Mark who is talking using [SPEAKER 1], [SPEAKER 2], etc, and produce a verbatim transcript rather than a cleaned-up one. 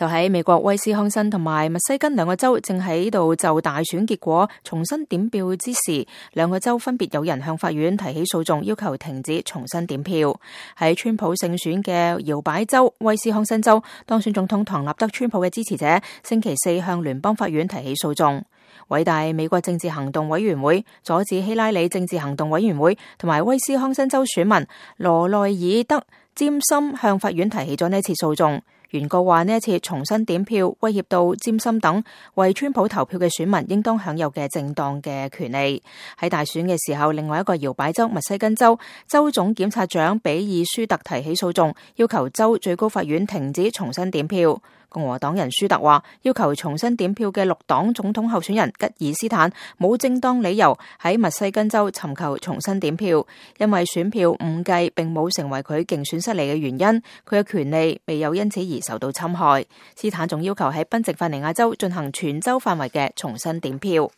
[SPEAKER 1] 就喺美國威斯康辛同埋密西根兩個州正喺度就大選結果重新點票之時，兩個州分別有人向法院提起訴訟，要求停止重新點票。喺川普勝選嘅搖擺州威斯康辛州，當選總統唐納德川普嘅支持者星期四向聯邦法院提起訴訟。偉大美國政治行動委員會、阻止希拉里政治行動委員會同埋威斯康辛州選民羅內爾德詹森向法院提起咗呢次訴訟。原告話呢一次重新點票威脅到詹森等為川普投票嘅選民應當享有嘅正當嘅權利。喺大選嘅時候，另外一個搖擺州密西根州州總檢察長比爾舒特提起訴訟，要求州最高法院停止重新點票。共和黨人舒特話，要求重新點票嘅綠黨總統候選人吉爾斯坦冇正當理由喺密西根州尋求重新點票，因為選票誤計並冇成為佢競選失利嘅原因，佢嘅權利未有因此而受到侵害。斯坦仲要求喺賓夕法尼亞州進行全州範圍嘅重新點票。